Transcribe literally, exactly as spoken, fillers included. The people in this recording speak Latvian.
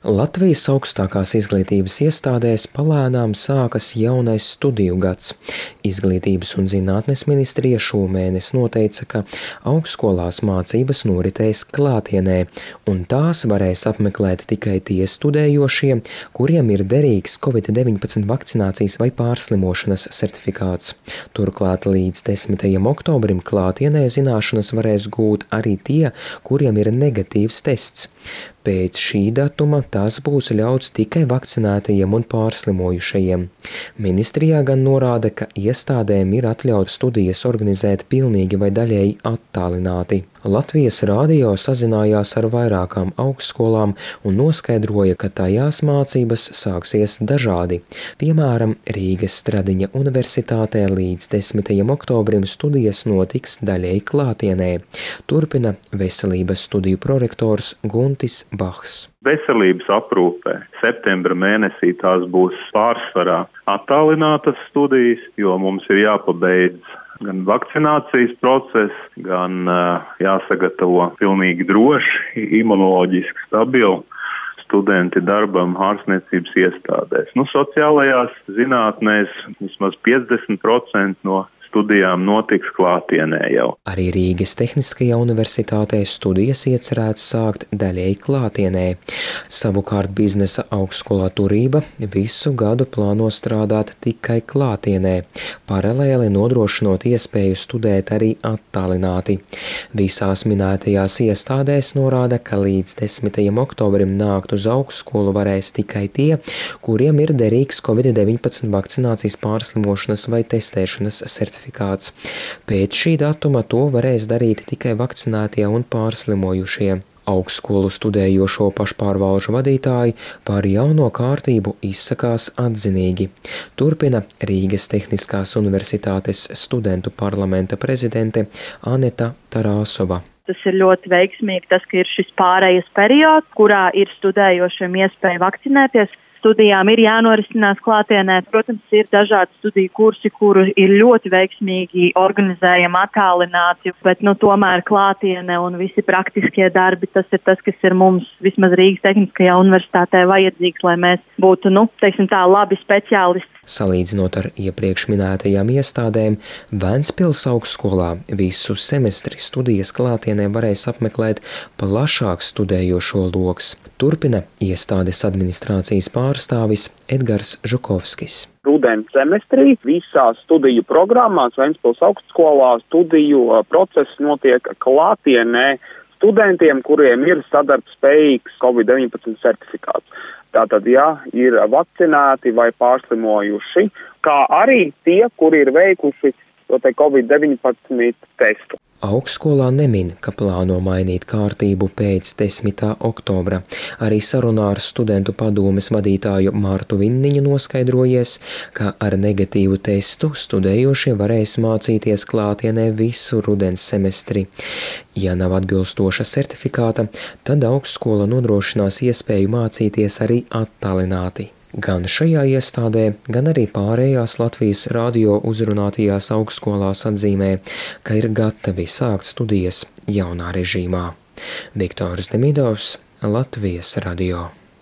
Latvijas augstākās izglītības iestādēs palēnām sākas jaunais studiju gads. Izglītības un zinātnes ministrija šomēnes noteica, ka augstskolās mācības noritēs klātienē, un tās varēs apmeklēt tikai tie studējošie, kuriem ir derīgs covid deviņpadsmit vakcinācijas vai pārslimošanas certifikāts. Turklāt līdz desmitajam oktobrim klātienē zināšanas varēs gūt arī tie, kuriem ir negatīvs tests. Pēc šī datuma tas būs ļauts tikai vakcinētajiem un pārslimojušajiem. Ministrijā gan norāda, ka iestādēm ir atļauts studijas organizēt pilnīgi vai daļēji attālināti. Latvijas radio sazinājās ar vairākām augstskolām un noskaidroja, ka tajās mācības sāksies dažādi. Piemēram, Rīgas Stradiņa universitātē līdz desmitajam oktobrim studijas notiks daļēji klātienē. Turpina veselības studiju prorektors Guntis Bahs. Veselības aprūpē septembra mēnesī tās būs pārsvarā attālinātas studijas, jo mums ir jāpabeidz gan vakcinācijas process, gan uh, jāsagatavo pilnīgi droši, imunoloģiski stabili studenti darbam ārstniecības iestādēs. Nu, sociālajās zinātnēs vismaz piecdesmit procenti no studijām notiks klātienē jau. Arī Rīgas Tehniskajā universitātē studijas iecerēts sākt daļēji klātienē. Savukārt biznesa augstskolā Turība visu gadu plāno strādāt tikai klātienē, paralēli nodrošinot iespēju studēt arī attālināti. Visās minētajās iestādēs norāda, ka līdz desmitajam oktobrim nākt uz augstskolu varēs tikai tie, kuriem ir derīgs covid deviņpadsmit vakcinācijas pārslimošanas vai testēšanas certifikāts. Pēc šī datuma to varēs darīt tikai vakcinētie un pārslimojušie. Augstskolu studējošo pašpārvalžu vadītāji par jauno kārtību izsakās atzinīgi. Turpina Rīgas Tehniskās universitātes studentu parlamenta prezidente Aneta Tarāsova. Tas ir ļoti veiksmīgi, tas, ka ir šis pārejas periods, kurā ir studējošiem iespēja vakcinēties. Studijām ir jānorisinās klātienē. Protams, ir dažādi studiju kursi, kuru ir ļoti veiksmīgi organizējami attālināti, bet nu, tomēr klātiene un visi praktiskie darbi, tas ir tas, kas ir mums vismaz Rīgas Tehniskajā universitātē vajadzīgs, lai mēs būtu, nu, teiksim tā, labi speciālisti. Salīdzinot ar iepriekš minētajām iestādēm, Ventspils augstskolā visu semestri studijas klātienē varēs apmeklēt plašāks studējošo loks. Turpina iestādes administrācijas pārstāvis Edgars Žukovskis. Rudens semestrī visās studiju programmās Ventspils augstskolā studiju process notiek klātienē studentiem, kuriem ir sadarbspējīgs covid deviņpadsmit certifikāts. Tātad, ja ir vakcinēti vai pārslimojuši, kā arī tie, kuri ir veikuši to te covid deviņpadsmit testu. Augstskolā nemin, ka plāno mainīt kārtību pēc desmitā oktobra. Arī sarunā ar studentu padomes vadītāju Martu Vinniņu noskaidrojies, ka ar negatīvu testu studējošie varēs mācīties klātienē visu rudens semestri. Ja nav atbilstoša certifikāta, tad augstskola nodrošinās iespēju mācīties arī attālināti. Gan šajā iestādē, gan arī pārējās Latvijas radio uzrunātajās augstskolās atzīmē, ka ir gatavi sākt studijas jaunā režīmā. Viktors Demidovs, Latvijas radio.